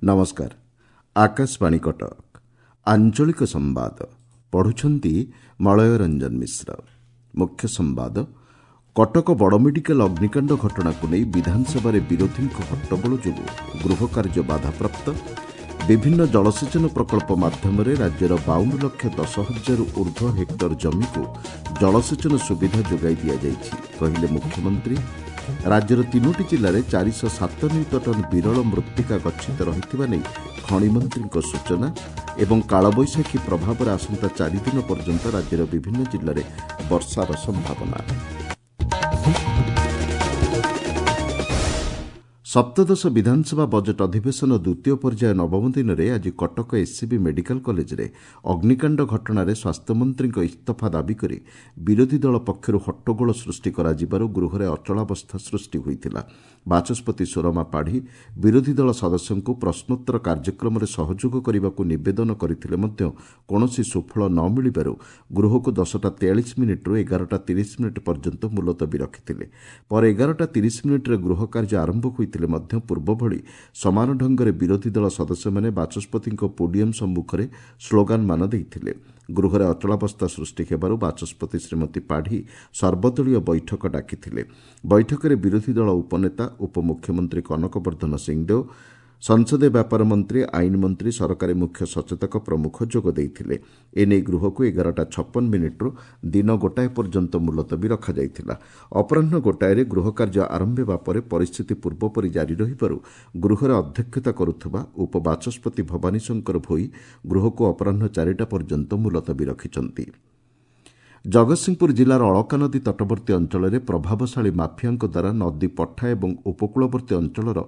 ନମସ୍କାର, ଆକାଶବାଣୀ କଟକ। ଆଞ୍ଚଳିକ ସମ୍ବାଦ ପଢ଼ୁଛନ୍ତି ମଳୟ ରଞ୍ଜନ ମିଶ୍ର। ମୁଖ୍ୟ ସମ୍ବାଦ। କଟକ ବଡ଼ ମେଡିକାଲ ଅଗ୍ନିକାଣ୍ଡ ଘଟଣାକୁ ନେଇ ବିଧାନସଭାରେ ବିରୋଧୀଙ୍କ ହଟ୍ଟଗୋଳ ଯୋଗୁଁ ଗୃହକାର୍ଯ୍ୟ ବାଧାପ୍ରାପ୍ତ। ବିଭିନ୍ନ ଜଳସେଚନ ପ୍ରକଳ୍ପ ମାଧ୍ୟମରେ ରାଜ୍ୟର 52,10,000ରୁ ଉର୍ଦ୍ଧ୍ୱ ହେକ୍ଟର ଜମିକୁ ଜଳସେଚନ ସୁବିଧା ଯୋଗାଇ ଦିଆଯାଇଛି, କହିଲେ ମୁଖ୍ୟମନ୍ତ୍ରୀ। ରାଜ୍ୟର ତିନୋଟି ଜିଲ୍ଲାରେ 407 ନିୟୁତ ଟନ୍ ବିରଳ ମୃତ୍ତିକା ଗଚ୍ଛିତ ରହିଥିବା ନେଇ ଖଣିମନ୍ତ୍ରୀଙ୍କ ସୂଚନା ଏବଂ କାଳବୈଶାଖୀ ପ୍ରଭାବରେ ଆସନ୍ତା 4 ଦିନ ପର୍ଯ୍ୟନ୍ତ ରାଜ୍ୟର ବିଭିନ୍ନ ଜିଲ୍ଲାରେ ବର୍ଷାର ସମ୍ଭାବନା। ସପ୍ତଦଶ ବିଧାନସଭା ବଜେଟ୍ ଅଧିବେଶନ ଦ୍ୱିତୀୟ ପର୍ଯ୍ୟାୟ ନବମ ଦିନରେ ଆଜି କଟକ ଏସ୍ସିବି ମେଡିକାଲ କଲେଜରେ ଅଗ୍ନିକାଣ୍ଡ ଘଟଣାରେ ସ୍ୱାସ୍ଥ୍ୟମନ୍ତ୍ରୀଙ୍କ ଇସ୍ତଫା ଦାବି କରି ବିରୋଧୀ ଦଳ ପକ୍ଷରୁ ହଟ୍ଟଗୋଳ ସୃଷ୍ଟି କରାଯିବାରୁ ଗୃହରେ ଅଚଳାବସ୍ଥା ସୃଷ୍ଟି ହୋଇଥିଲା। ବାଚସ୍ପତି ସୁରମା ପାଢ଼ୀ ବିରୋଧୀ ଦଳ ସଦସ୍ୟଙ୍କୁ ପ୍ରଶ୍ନୋତ୍ତର କାର୍ଯ୍ୟକ୍ରମରେ ସହଯୋଗ କରିବାକୁ ନିବେଦନ କରିଥିଲେ ମଧ୍ୟ କୌଣସି ସୁଫଳ ନ ମିଳିବାରୁ ଗୃହକୁ 10ଟା 43 ମିନିଟ୍ରୁ 11ଟା 30 ମିନିଟ୍ ପର୍ଯ୍ୟନ୍ତ ମୁଲତବୀ ରଖିଥିଲେ। ପରେ 11ଟା 30 ମିନିଟ୍ରେ ଗୃହ କାର୍ଯ୍ୟ ଆରମ୍ଭ ହୋଇଥିଲେ ମଧ୍ୟ ପୂର୍ବଭଳି ସମାନ ଢଙ୍ଗରେ ବିରୋଧୀ ଦଳ ସଦସ୍ୟମାନେ ବାଚସ୍ପତିଙ୍କ ପୋଡିୟମ୍ ସମ୍ମୁଖରେ ସ୍ଲୋଗାନମାନ ଦେଇଥିଲେ। ଗୃହରେ ଅଚଳାବସ୍ଥା ସୃଷ୍ଟି ହେବାରୁ ବାଚସ୍ପତି ଶ୍ରୀମତୀ ପାଢ଼ୀ ସର୍ବଦଳୀୟ ବୈଠକ ଡାକିଥିଲେ। ବୈଠକରେ ବିରୋଧୀ ଦଳ ଉପନେତା, ଉପମୁଖ୍ୟମନ୍ତ୍ରୀ କନକ ବର୍ଦ୍ଧନ ସିଂହଦେଓ, ସଂସଦୀୟ ବ୍ୟାପାର ମନ୍ତ୍ରୀ, ଆଇନ ମନ୍ତ୍ରୀ, ସରକାରୀ ମୁଖ୍ୟ ସଚେତକ ପ୍ରମୁଖ ଯୋଗ ଦେଇଥିଲେ। ଏନେଇ ଗୃହକୁ 11ଟା 56 ମିନିଟ୍ରୁ ଦିନ 1 ପର୍ଯ୍ୟନ୍ତ ମୁଲତବୀ ରଖାଯାଇଥିଲା। ଅପରାହ୍ନ 1ରେ ଗୃହ କାର୍ଯ୍ୟ ଆରମ୍ଭ ହେବା ପରେ ପରିସ୍ଥିତି ପୂର୍ବପରି ଜାରି ରହିବାରୁ ଗୃହରେ ଅଧ୍ୟକ୍ଷତା କରୁଥିବା ଉପବାଚସ୍ପତି ଭବାନୀ ଶଙ୍କର ଭୋଇ ଗୃହକୁ ଅପରାହ୍ନ 4ଟା ପର୍ଯ୍ୟନ୍ତ ମୁଲତବୀ ରଖିଛନ୍ତି। ଜଗତସିଂହପୁର ଜିଲ୍ଲାର ଅଳକାନଦୀ ତଟବର୍ତ୍ତୀ ଅଞ୍ଚଳରେ ପ୍ରଭାବଶାଳୀ ମାଫିଆଙ୍କ ଦ୍ୱାରା ନଦୀ ପଠା ଏବଂ ଉପକୂଳବର୍ତ୍ତୀ ଅଞ୍ଚଳର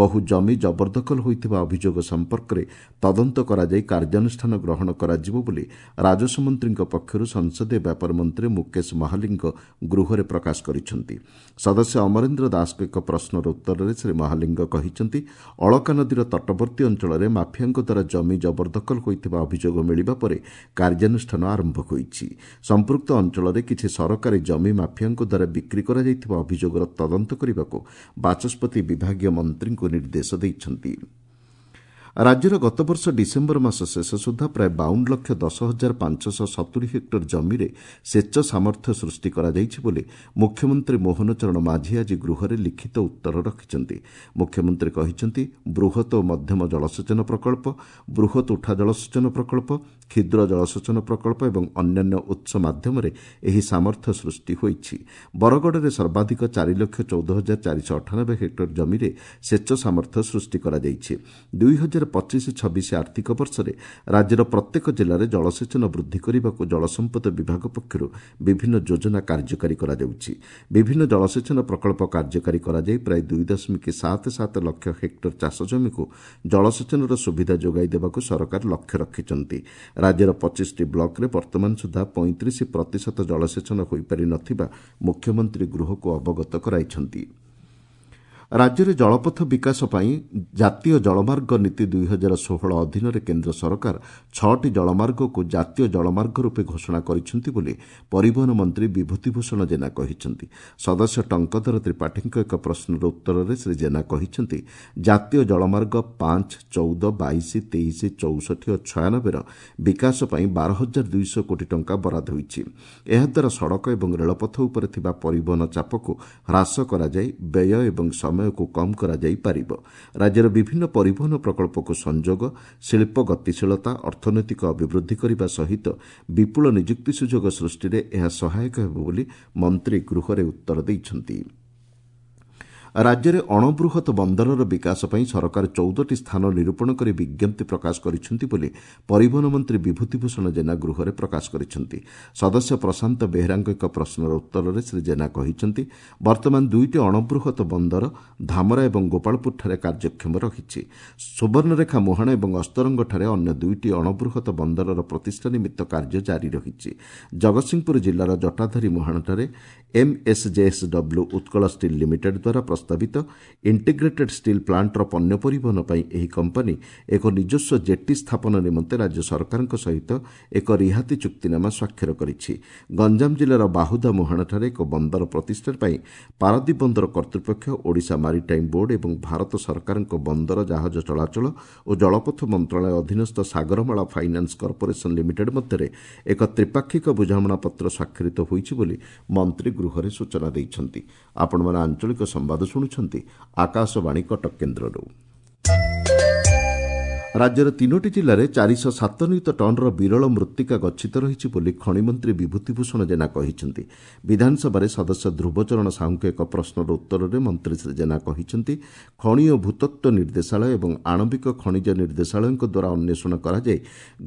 ବହୁ ଜମି ଜବରଦଖଲ ହୋଇଥିବା ଅଭିଯୋଗ ସମ୍ପର୍କରେ ତଦନ୍ତ କରାଯାଇ କାର୍ଯ୍ୟାନୁଷ୍ଠାନ ଗ୍ରହଣ କରାଯିବ ବୋଲି ରାଜସ୍ୱ ମନ୍ତ୍ରୀଙ୍କ ପକ୍ଷରୁ ସଂସଦୀୟ ବ୍ୟାପାର ମନ୍ତ୍ରୀ ମୁକେଶ ମହାଲିଙ୍ଗ ଗୃହରେ ପ୍ରକାଶ କରିଛନ୍ତି। ସଦସ୍ୟ ଅମରେନ୍ଦ୍ର ଦାସଙ୍କ ଏକ ପ୍ରଶ୍ନର ଉତ୍ତରରେ ଶ୍ରୀ ମହାଲିଙ୍ଗ କହିଛନ୍ତି, ଅଳକା ନଦୀର ତଟବର୍ତ୍ତୀ ଅଞ୍ଚଳରେ ମାଫିଆଙ୍କ ଦ୍ୱାରା ଜମି ଜବରଦଖଲ ହୋଇଥିବା ଅଭିଯୋଗ ମିଳିବା ପରେ କାର୍ଯ୍ୟାନୁଷ୍ଠାନ ଆରମ୍ଭ ହୋଇଛି। ସମ୍ପୃକ୍ତ ଅଞ୍ଚଳରେ କିଛି ସରକାରୀ ଜମି ମାଫିଆଙ୍କ ଦ୍ୱାରା ବିକ୍ରି କରାଯାଇଥିବା ଅଭିଯୋଗର ତଦନ୍ତ କରିବାକୁ ବାଚସ୍ପତି ବିଭାଗୀୟ ମନ୍ତ୍ରୀଙ୍କୁ ନିର୍ଦ୍ଦେଶ ଦେଇଛନ୍ତି। ରାଜ୍ୟର ଗତବର୍ଷ ଡିସେମ୍ବର ମାସ ଶେଷ ସୁଦ୍ଧା ପ୍ରାୟ 52,10,570 ହେକ୍ଟର ଜମିରେ ସେଚ ସାମର୍ଥ୍ୟ ସୃଷ୍ଟି କରାଯାଇଛି ବୋଲି ମୁଖ୍ୟମନ୍ତ୍ରୀ ମୋହନ ଚରଣ ମାଝୀ ଆଜି ଗୃହରେ ଲିଖିତ ଉତ୍ତର ରଖିଛନ୍ତି। ମୁଖ୍ୟମନ୍ତ୍ରୀ କହିଛନ୍ତି, ବୃହତ ଓ ମଧ୍ୟମ ଜଳସେଚନ ପ୍ରକଳ୍ପ, ବୃହତ ଉଠା ଜଳସେଚନ ପ୍ରକଳ୍ପ, କ୍ଷୁଦ୍ର ଜଳସେଚନ ପ୍ରକଳ୍ପ ଏବଂ ଅନ୍ୟାନ୍ୟ ଉତ୍ସ ମାଧ୍ୟମରେ ଏହି ସାମର୍ଥ୍ୟ ସୃଷ୍ଟି ହୋଇଛି। ବରଗଡ଼ରେ ସର୍ବାଧିକ 4,14,498 ହେକ୍ଟର ଜମିରେ ସେଚ ସାମର୍ଥ୍ୟ ସୃଷ୍ଟି କରାଯାଇଛି। 2025-26 ଆର୍ଥିକ ବର୍ଷରେ ରାଜ୍ୟର ପ୍ରତ୍ୟେକ ଜିଲ୍ଲାରେ ଜଳସେଚନ ବୃଦ୍ଧି କରିବାକୁ ଜଳସମ୍ପଦ ବିଭାଗ ପକ୍ଷରୁ ବିଭିନ୍ନ ଯୋଜନା କାର୍ଯ୍ୟକାରୀ କରାଯାଉଛି। ବିଭିନ୍ନ ଜଳସେଚନ ପ୍ରକଳ୍ପ କାର୍ଯ୍ୟକାରୀ କରାଯାଇ ପ୍ରାୟ 2.77 ଲକ୍ଷ ହେକ୍ଟର ଚାଷଜମିକୁ ଜଳସେଚନର ସୁବିଧା ଯୋଗାଇ ଦେବାକୁ ସରକାର ଲକ୍ଷ୍ୟ ରଖିଛନ୍ତି। ରାଜ୍ୟର 25ଟି ବ୍ଲକରେ ବର୍ତ୍ତମାନ ସୁଦ୍ଧା 35% ଜଳସେଚନ ହୋଇପାରି ନ ଥିବା ମୁଖ୍ୟମନ୍ତ୍ରୀ ଗୃହକୁ ଅବଗତ କରାଇଛନ୍ତି। ରାଜ୍ୟରେ ଜଳପଥ ବିକାଶ ପାଇଁ ଜାତୀୟ ଜଳମାର୍ଗ ନୀତି 2016 ଅଧୀନରେ କେନ୍ଦ୍ର ସରକାର ଛଅଟି ଜଳମାର୍ଗକୁ ଜାତୀୟ ଜଳମାର୍ଗ ରୂପେ ଘୋଷଣା କରିଛନ୍ତି ବୋଲି ପରିବହନ ମନ୍ତ୍ରୀ ବିଭୂତିଭୂଷଣ ଜେନା କହିଛନ୍ତି। ସଦସ୍ୟ ଟଙ୍କଧର ତ୍ରିପାଠୀଙ୍କ ଏକ ପ୍ରଶ୍ନର ଉତ୍ତରରେ ଶ୍ରୀ ଜେନା କହିଛନ୍ତି, ଜାତୀୟ ଜଳମାର୍ଗ 5, 14, 22, 23, 64 ଓ 96ର ବିକାଶ ପାଇଁ 12,200 କୋଟି ଟଙ୍କା ବରାଦ ହୋଇଛି। ଏହାଦ୍ୱାରା ସଡ଼କ ଏବଂ ରେଳପଥ ଉପରେ ଥିବା ପରିବହନ ଚାପକୁ ହ୍ରାସ କରାଯାଇ ବ୍ୟୟ ଏବଂ ସମୟକୁ କମ୍ କରାଯାଇ ପାରିବ। ରାଜ୍ୟର ବିଭିନ୍ନ ପରିବହନ ପ୍ରକଳ୍ପକୁ ସଂଯୋଗ, ଶିଳ୍ପ ଗତିଶୀଳତା, ଅର୍ଥନୈତିକ ଅଭିବୃଦ୍ଧି କରିବା ସହିତ ବିପୁଳ ନିଯୁକ୍ତି ସୁଯୋଗ ସୃଷ୍ଟିରେ ଏହା ସହାୟକ ହେବ ବୋଲି ମନ୍ତ୍ରୀ ଗୃହରେ ଉତ୍ତର ଦେଇଛନ୍ତି। ରାଜ୍ୟରେ ଅଣବୃହତ ବନ୍ଦରର ବିକାଶ ପାଇଁ ସରକାର 14ଟି ସ୍ଥାନ ନିରୂପଣ କରି ବିଜ୍ଞପ୍ତି ପ୍ରକାଶ କରିଛନ୍ତି ବୋଲି ପରିବହନ ମନ୍ତ୍ରୀ ବିଭୂତିଭୂଷଣ ଜେନା ଗୃହରେ ପ୍ରକାଶ କରିଛନ୍ତି। ସଦସ୍ୟ ପ୍ରଶାନ୍ତ ବେହେରାଙ୍କ ଏକ ପ୍ରଶ୍ନର ଉତ୍ତରରେ ଶ୍ରୀ ଜେନା କହିଛନ୍ତି, ବର୍ତ୍ତମାନ ଦୁଇଟି ଅଣବୃହତ ବନ୍ଦର ଧାମରା ଏବଂ ଗୋପାଳପୁରଠାରେ କାର୍ଯ୍ୟକ୍ଷମ ରହିଛି। ସୁବର୍ଣ୍ଣରେଖା ମୁହାଣ ଏବଂ ଅସ୍ତରଙ୍ଗଠାରେ ଅନ୍ୟ ଦୁଇଟି ଅଣବୃହତ ବନ୍ଦରର ପ୍ରତିଷ୍ଠା ନିମିତ୍ତ କାର୍ଯ୍ୟ ଜାରି ରହିଛି। ଜଗତସିଂହପୁର ଜିଲ୍ଲାର ଜଟାଧାରୀ ମୁହାଣଠାରେ ଏମ୍ଏସ୍ଜେଏସ୍ଡବ୍ଲ୍ୟୁ ଉତ୍କଳ ଷ୍ଟିଲ୍ ଲିମିଟେଡ୍ ଦ୍ୱାରା ପ୍ରସ୍ତାବିତ ଇଣ୍ଟିଗ୍ରେଟେଡ୍ ଷ୍ଟିଲ୍ ପ୍ଲାଣ୍ଟର ପଣ୍ୟ ପରିବହନ ପାଇଁ ଏହି କମ୍ପାନୀ ଏକ ନିଜସ୍ୱ ଜେଟି ସ୍ଥାପନ ନିମନ୍ତେ ରାଜ୍ୟ ସରକାରଙ୍କ ସହିତ ଏକ ରିହାତି ଚୁକ୍ତିନାମା ସ୍ୱାକ୍ଷର କରିଛି। ଗଞ୍ଜାମ ଜିଲ୍ଲାର ବାହୁଦା ମୁହାଣଠାରେ ଏକ ବନ୍ଦର ପ୍ରତିଷ୍ଠା ପାଇଁ ପାରାଦୀପ ବନ୍ଦର କର୍ତ୍ତୃପକ୍ଷ, ଓଡ଼ିଶା ମାରିଟାଇମ୍ ବୋର୍ଡ ଏବଂ ଭାରତ ସରକାରଙ୍କ ବନ୍ଦର, ଜାହାଜ ଚଳାଚଳ ଓ ଜଳପଥ ମନ୍ତ୍ରଣାଳୟ ଅଧୀନସ୍ଥ ସାଗରମାଳା ଫାଇନାନ୍ସ କର୍ପୋରେସନ ଲିମିଟେଡ୍ ମଧ୍ୟରେ ଏକ ତ୍ରିପାକ୍ଷିକ ବୁଝାମଣାପତ୍ର ସ୍ୱାକ୍ଷରିତ ହୋଇଛି ବୋଲି ମନ୍ତ୍ରୀ ଗୃହରେ ସୂଚନା ଦେଇଛନ୍ତି। ଆପଣମାନେ ଆଞ୍ଚଳିକ ସମ୍ବାଦ ଶୁଣୁଛନ୍ତି ଆକାଶବାଣୀ କଟକ କେନ୍ଦ୍ରରୁ। ରାଜ୍ୟର ତିନୋଟି ଜିଲ୍ଲାରେ 407 ନିୟୁତ ଟନ୍ର ବିରଳ ମୃତ୍ତିକା ଗଚ୍ଛିତ ରହିଛି ବୋଲି ଖଣିମନ୍ତ୍ରୀ ବିଭୂତିଭୂଷଣ ଜେନା କହିଛନ୍ତି। ବିଧାନସଭାରେ ସଦସ୍ୟ ଧ୍ରୁବଚରଣ ସାହୁଙ୍କ ଏକ ପ୍ରଶ୍ନର ଉତ୍ତରରେ ମନ୍ତ୍ରୀ ଶ୍ରୀ ଜେନା କହିଛନ୍ତି, ଖଣି ଓ ଭୂତତ୍ତ୍ୱ ନିର୍ଦ୍ଦେଶାଳୟ ଏବଂ ଆଣବିକ ଖଣିଜ ନିର୍ଦ୍ଦେଶାଳୟଙ୍କ ଦ୍ୱାରା ଅନ୍ୱେଷଣ କରାଯାଇ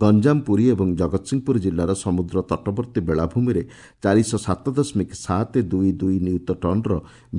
ଗଞ୍ଜାମ, ପୁରୀ ଏବଂ ଜଗତସିଂହପୁର ଜିଲ୍ଲାର ସମୁଦ୍ର ତଟବର୍ତ୍ତୀ ବେଳାଭୂମିରେ 407.722 ନିୟୁତ ଟନ୍ର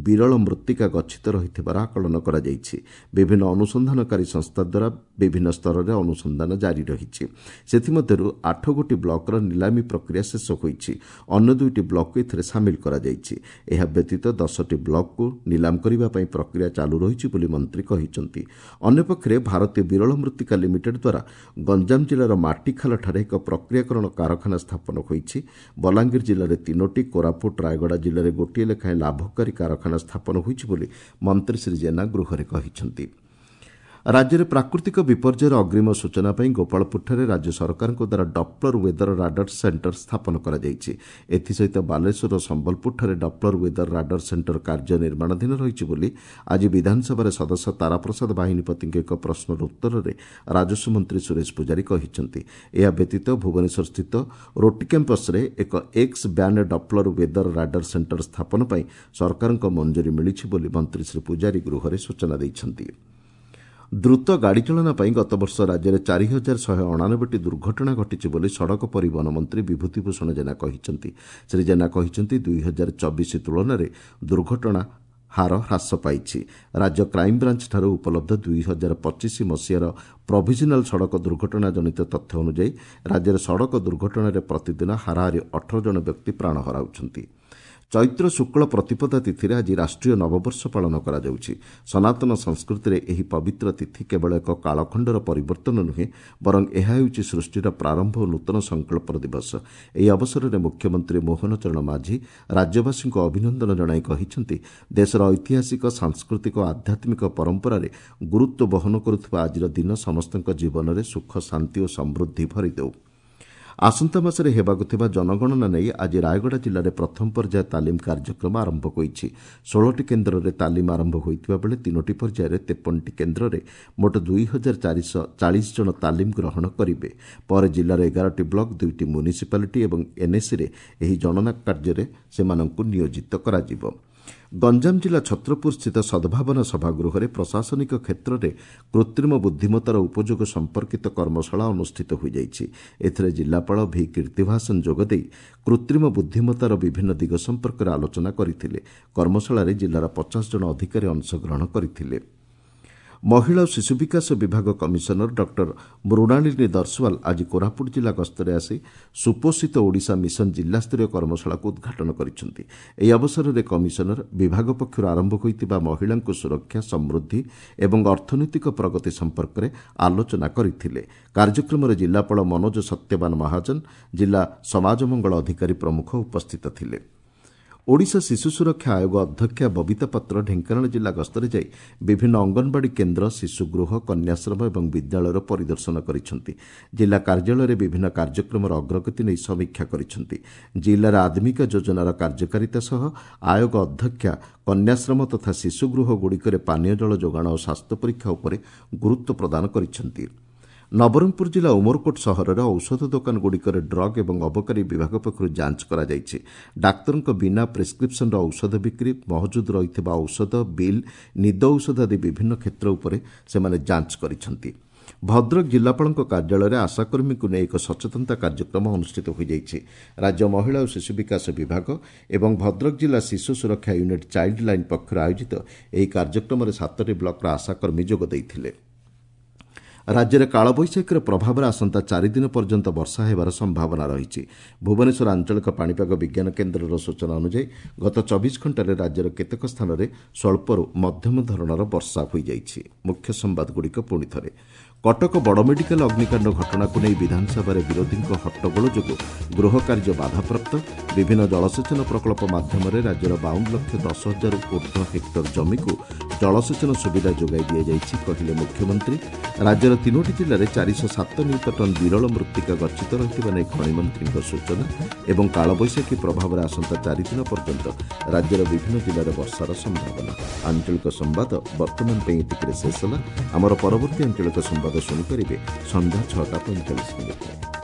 ବିରଳ ମୃତ୍ତିକା ଗଚ୍ଛିତ ରହିଥିବାର ଆକଳନ କରାଯାଇଛି। ବିଭିନ୍ନ ଅନୁସନ୍ଧାନକାରୀ ସଂସ୍ଥା ଦ୍ୱାରା ବିଭିନ୍ନ ସ୍ତରରେ ଅନୁସନ୍ଧାନ ଜାରି ରହିଛି। ସେଥିମଧ୍ୟରୁ 8 ଗୋଟି ବ୍ଲକର ନିଲାମୀ ପ୍ରକ୍ରିୟା ଶେଷ ହୋଇଛି। ଅନ୍ୟ 2ଟି ବ୍ଲକକୁ ଏଥିରେ ସାମିଲ କରାଯାଇଛି। ଏହା ବ୍ୟତୀତ 10ଟି ବ୍ଲକକୁ ନିଲାମ କରିବା ପାଇଁ ପ୍ରକ୍ରିୟା ଚାଲୁ ରହିଛି ବୋଲି ମନ୍ତ୍ରୀ କହିଛନ୍ତି। ଅନ୍ୟପକ୍ଷରେ ଭାରତୀୟ ବିରଳ ମୃତ୍ତିକା ଲିମିଟେଡ୍ ଦ୍ୱାରା ଗଞ୍ଜାମ ଜିଲ୍ଲାର ମାଟିଖାଲଠାରେ ଏକ ପ୍ରକ୍ରିୟାକରଣ କାରଖାନା ସ୍ଥାପନ ହୋଇଛି। ବଲାଙ୍ଗୀର ଜିଲ୍ଲାରେ 3ଟି, କୋରାପୁଟ, ରାୟଗଡ଼ା ଜିଲ୍ଲାରେ ଗୋଟିଏ ଲେଖାଏଁ ଲାଭକାରୀ କାରଖାନା ସ୍ଥାପନ ହୋଇଛି ବୋଲି ମନ୍ତ୍ରୀ ଶ୍ରୀ ଜେନା ଗୃହରେ କହିଛନ୍ତି। ରାଜ୍ୟରେ ପ୍ରାକୃତିକ ବିପର୍ଯ୍ୟୟର ଅଗ୍ରିମ ସୂଚନା ପାଇଁ ଗୋପାଳପୁରଠାରେ ରାଜ୍ୟ ସରକାରଙ୍କ ଦ୍ୱାରା ଡପ୍ଲର ୱେଦର ରାଡାର ସେଣ୍ଟର ସ୍ଥାପନ କରାଯାଇଛି। ଏଥିସହିତ ବାଲେଶ୍ୱର ଓ ସମ୍ବଲପୁରଠାରେ ଡପ୍ଲର ୱେଦର ରାଡାର ସେଣ୍ଟର କାର୍ଯ୍ୟ ନିର୍ମାଣାଧୀନ ରହିଛି ବୋଲି ଆଜି ବିଧାନସଭାରେ ସଦସ୍ୟ ତାରାପ୍ରସାଦ ବାହିନୀପତିଙ୍କ ଏକ ପ୍ରଶ୍ନର ଉତ୍ତରରେ ରାଜସ୍ୱ ମନ୍ତ୍ରୀ ସୁରେଶ ପୂଜାରୀ କହିଛନ୍ତି। ଏହା ବ୍ୟତୀତ ଭୁବନେଶ୍ୱରସ୍ଥିତ ରୋଟି କ୍ୟାମ୍ପସରେ ଏକ X band Doppler weather radar centre ସ୍ଥାପନ ପାଇଁ ସରକାରଙ୍କ ମଞ୍ଜୁରୀ ମିଳିଛି ବୋଲି ମନ୍ତ୍ରୀ ଶ୍ରୀ ପୂଜାରୀ ଗୃହରେ ସୂଚନା ଦେଇଛନ୍ତି। ଦ୍ରୁତ ଗାଡ଼ି ଚାଳନା ପାଇଁ ଗତବର୍ଷ ରାଜ୍ୟରେ 4189ଟି ଦୁର୍ଘଟଣା ଘଟିଛି ବୋଲି ସଡ଼କ ପରିବହନ ମନ୍ତ୍ରୀ ବିଭୂତିଭୂଷଣ ଜେନା କହିଛନ୍ତି। ଶ୍ରୀ ଜେନା କହିଛନ୍ତି, 2024 ତୁଳନାରେ ଦୁର୍ଘଟଣା ହାର ହ୍ରାସ ପାଇଛି। ରାଜ୍ୟ କ୍ରାଇମବ୍ରାଞ୍ଚଠାରୁ ଉପଲବ୍ଧ 2025 ମସିହାର ପ୍ରୋଭିଜନାଲ୍ ସଡ଼କ ଦୁର୍ଘଟଣା ଜନିତ ତଥ୍ୟ ଅନୁଯାୟୀ ରାଜ୍ୟରେ ସଡ଼କ ଦୁର୍ଘଟଣାରେ ପ୍ରତିଦିନ ହାରାହାରି 18 ଜଣ ବ୍ୟକ୍ତି ପ୍ରାଣ ହରାଉଛନ୍ତି। ଚୈତ୍ର ଶୁକ୍ଳ ପ୍ରତିପଦା ତିଥିରେ ଆଜି ରାଷ୍ଟ୍ରୀୟ ନବବର୍ଷ ପାଳନ କରାଯାଉଛି। ସନାତନ ସଂସ୍କୃତିରେ ଏହି ପବିତ୍ର ତିଥି କେବଳ ଏକ କାଳଖଣ୍ଡର ପରିବର୍ତ୍ତନ ନୁହେଁ, ବରଂ ଏହା ହେଉଛି ସୃଷ୍ଟିର ପ୍ରାରମ୍ଭ ଓ ନୂତନ ସଂକଳ୍ପର ଦିବସ। ଏହି ଅବସରରେ ମୁଖ୍ୟମନ୍ତ୍ରୀ ମୋହନ ଚରଣ ମାଝୀ ରାଜ୍ୟବାସୀଙ୍କୁ ଅଭିନନ୍ଦନ ଜଣାଇ କହିଛନ୍ତି, ଦେଶର ଐତିହାସିକ, ସାଂସ୍କୃତିକ ଓ ଆଧ୍ୟାତ୍ମିକ ପରମ୍ପରାରେ ଗୁରୁତ୍ୱ ବହନ କରୁଥିବା ଆଜିର ଦିନ ସମସ୍ତଙ୍କ ଜୀବନରେ ସୁଖ, ଶାନ୍ତି ଓ ସମୃଦ୍ଧି ଭରିଦେଉ। ଆସନ୍ତା ମାସରେ ହେବାକୁ ଥିବା ଜନଗଣନା ନେଇ ଆଜି ରାୟଗଡ଼ା ଜିଲ୍ଲାରେ ପ୍ରଥମ ପର୍ଯ୍ୟାୟ ତାଲିମ କାର୍ଯ୍ୟକ୍ରମ ଆରମ୍ଭ ହୋଇଛି। 16ଟି କେନ୍ଦ୍ରରେ ତାଲିମ ଆରମ୍ଭ ହୋଇଥିବା ବେଳେ 3ଟି ପର୍ଯ୍ୟାୟରେ 53ଟି କେନ୍ଦ୍ରରେ ମୋଟ 2440 ଜଣ ତାଲିମ ଗ୍ରହଣ କରିବେ। ପରେ ଜିଲ୍ଲାର 11ଟି ବ୍ଲକ, 2ଟି ମ୍ୟୁନିସିପାଲିଟି ଏବଂ ଏନ୍ଏସିରେ ଏହି ଗଣନା କାର୍ଯ୍ୟରେ ସେମାନଙ୍କୁ ନିୟୋଜିତ କରାଯିବ। ଗଞ୍ଜାମ ଜିଲ୍ଲା ଛତ୍ରପୁରସ୍ଥିତ ସଦ୍ଭାବନା ସଭାଗୃହରେ ପ୍ରଶାସନିକ କ୍ଷେତ୍ରରେ କୃତ୍ରିମ ବୁଦ୍ଧିମତ୍ତାର ଉପଯୋଗ ସମ୍ପର୍କିତ କର୍ମଶାଳା ଅନୁଷ୍ଠିତ ହୋଇଯାଇଛି। ଏଥିରେ ଜିଲ୍ଲାପାଳ ଭି କୀର୍ତ୍ତିଭାସନ ଯୋଗଦେଇ କୃତ୍ରିମ ବୁଦ୍ଧିମତ୍ତାର ବିଭିନ୍ନ ଦିଗ ସମ୍ପର୍କରେ ଆଲୋଚନା କରିଥିଲେ। କର୍ମଶାଳାରେ ଜିଲ୍ଲାର 50 ଜଣ ଅଧିକାରୀ ଅଂଶଗ୍ରହଣ କରିଥିଲେ। ମହିଳା ଓ ଶିଶୁ ବିକାଶ ବିଭାଗ କମିଶନର ଡକ୍ଟର ମୃଣାଳିନୀ ଦର୍ଶୱାଲ ଆଜି କୋରାପୁଟ ଜିଲ୍ଲା ଗସ୍ତରେ ଆସି ସୁପୋଷିତ ଓଡ଼ିଶା ମିଶନ ଜିଲ୍ଲାସ୍ତରୀୟ କର୍ମଶାଳାକୁ ଉଦ୍ଘାଟନ କରିଛନ୍ତି। ଏହି ଅବସରରେ କମିଶନର ବିଭାଗ ପକ୍ଷରୁ ଆରମ୍ଭ ହୋଇଥିବା ମହିଳାଙ୍କୁ ସୁରକ୍ଷା, ସମୃଦ୍ଧି ଏବଂ ଅର୍ଥନୈତିକ ପ୍ରଗତି ସମ୍ପର୍କରେ ଆଲୋଚନା କରିଥିଲେ। କାର୍ଯ୍ୟକ୍ରମରେ ଜିଲ୍ଲାପାଳ ମନୋଜ ସତ୍ୟବାନ ମହାଜନ, ଜିଲ୍ଲା ସମାଜ ମଙ୍ଗଳ ଅଧିକାରୀ ପ୍ରମୁଖ ଉପସ୍ଥିତ ଥିଲେ। ଓଡ଼ିଶା ଶିଶୁ ସୁରକ୍ଷା ଆୟୋଗ ଅଧ୍ୟକ୍ଷା ବବିତା ପାତ୍ର ଢେଙ୍କାନାଳ ଜିଲ୍ଲା ଗସ୍ତରେ ଯାଇ ବିଭିନ୍ନ ଅଙ୍ଗନବାଡ଼ି କେନ୍ଦ୍ର, ଶିଶୁଗୃହ, କନ୍ୟାଶ୍ରମ ଏବଂ ବିଦ୍ୟାଳୟର ପରିଦର୍ଶନ କରିଛନ୍ତି। ଜିଲ୍ଲା କାର୍ଯ୍ୟାଳୟରେ ବିଭିନ୍ନ କାର୍ଯ୍ୟକ୍ରମର ଅଗ୍ରଗତି ନେଇ ସମୀକ୍ଷା କରିଛନ୍ତି। ଜିଲ୍ଲାରେ ଆଦ୍ମିକା ଯୋଜନାର କାର୍ଯ୍ୟକାରିତା ସହ ଆୟୋଗ ଅଧ୍ୟକ୍ଷା କନ୍ୟାଶ୍ରମ ତଥା ଶିଶୁଗୃହଗୁଡ଼ିକରେ ପାନୀୟ ଜଳ ଯୋଗାଣ ଓ ସ୍ୱାସ୍ଥ୍ୟ ପରୀକ୍ଷା ଉପରେ ଗୁରୁତ୍ୱ ପ୍ରଦାନ କରିଛନ୍ତି। ନବରଙ୍ଗପୁର ଜିଲ୍ଲା ଉମରକୋଟ ସହରରେ ଔଷଧ ଦୋକାନଗୁଡ଼ିକରେ ଡ୍ରଗ୍ ଏବଂ ଅବକାରୀ ବିଭାଗ ପକ୍ଷରୁ ଯାଞ୍ଚ କରାଯାଇଛି। ଡାକ୍ତରଙ୍କ ବିନା ପ୍ରେସ୍କ୍ରିପ୍ସନ୍ର ଔଷଧ ବିକ୍ରି, ମହଜୁଦ ରହିଥିବା ଔଷଧ, ବିଲ୍, ନିଦ ଔଷଧ ଆଦି ବିଭିନ୍ନ କ୍ଷେତ୍ର ଉପରେ ସେମାନେ ଯାଞ୍ଚ କରିଛନ୍ତି। ଭଦ୍ରକ ଜିଲ୍ଲାପାଳଙ୍କ କାର୍ଯ୍ୟାଳୟରେ ଆଶାକର୍ମୀଙ୍କୁ ନେଇ ଏକ ସଚେତନତା କାର୍ଯ୍ୟକ୍ରମ ଅନୁଷ୍ଠିତ ହୋଇଯାଇଛି। ରାଜ୍ୟ ମହିଳା ଓ ଶିଶୁ ବିକାଶ ବିଭାଗ ଏବଂ ଭଦ୍ରକ ଜିଲ୍ଲା ଶିଶୁ ସୁରକ୍ଷା ୟୁନିଟ୍ ଚାଇଲ୍ଡ ଲାଇନ୍ ପକ୍ଷରୁ ଆୟୋଜିତ ଏହି କାର୍ଯ୍ୟକ୍ରମରେ 7ଟି ବ୍ଲକର ଆଶାକର୍ମୀ ଯୋଗ ଦେଇଥିଲେ। ରାଜ୍ୟରେ କାଳବୈଶାଖୀର ପ୍ରଭାବରେ ଆସନ୍ତା 4 ଦିନ ପର୍ଯ୍ୟନ୍ତ ବର୍ଷା ହେବାର ସମ୍ଭାବନା ରହିଛି। ଭୁବନେଶ୍ୱର ଆଞ୍ଚଳିକ ପାଣିପାଗ ବିଜ୍ଞାନ କେନ୍ଦ୍ରର ସୂଚନା ଅନୁଯାୟୀ ଗତ 24 ଘଣ୍ଟାରେ ରାଜ୍ୟର କେତେକ ସ୍ଥାନରେ ସ୍ୱଳ୍ପରୁ ମଧ୍ୟମ ଧରଣର ବର୍ଷା ହୋଇଯାଇଛି। ମୁଖ୍ୟ ସମ୍ବାଦଗୁଡ଼ିକ ପୁଣି ଥରେ। କଟକ ବଡ଼ ମେଡିକାଲ ଅଗ୍ନିକାଣ୍ଡ ଘଟଣାକୁ ନେଇ ବିଧାନସଭାରେ ବିରୋଧୀଙ୍କ ହଟ୍ଟଗୋଳ ଯୋଗୁଁ ଗୃହ କାର୍ଯ୍ୟ ବାଧାପ୍ରାପ୍ତ। ବିଭିନ୍ନ ଜଳସେଚନ ପ୍ରକଳ୍ପ ମାଧ୍ୟମରେ ରାଜ୍ୟର 52,10,000 ଉର୍ଦ୍ଧ୍ୱ ହେକ୍ଟର ଜମିକୁ ଜଳସେଚନ ସୁବିଧା ଯୋଗାଇ ଦିଆଯାଇଛି, କହିଲେ ମୁଖ୍ୟମନ୍ତ୍ରୀ। ରାଜ୍ୟର 3ଟି ଜିଲ୍ଲାରେ 407 ନିୟୁତ ଟନ୍ ବିରଳ ମୃତ୍ତିକା ଗଚ୍ଛିତ ରହିଥିବା ନେଇ ଖଣିମନ୍ତ୍ରୀଙ୍କ ସୂଚନା। ଏବଂ କାଳବୈଶାଖୀ ପ୍ରଭାବରେ ଆସନ୍ତା 4 ଦିନ ପର୍ଯ୍ୟନ୍ତ ରାଜ୍ୟର ବିଭିନ୍ନ ଜିଲ୍ଲାରେ ବର୍ଷାର ସମ୍ଭାବନା। ଆଞ୍ଚଳିକ ସମ୍ବାଦ ବର୍ତ୍ତମାନ ପାଇଁ ଏତିକିରେ ଶେଷ ହେଲା। ଆମର ପରବର୍ତ୍ତୀ ଆଞ୍ଚଳିକ ସମ୍ବାଦ ଶୁଣିପାରିବେ ସନ୍ଧ୍ୟା 6ଟା 45।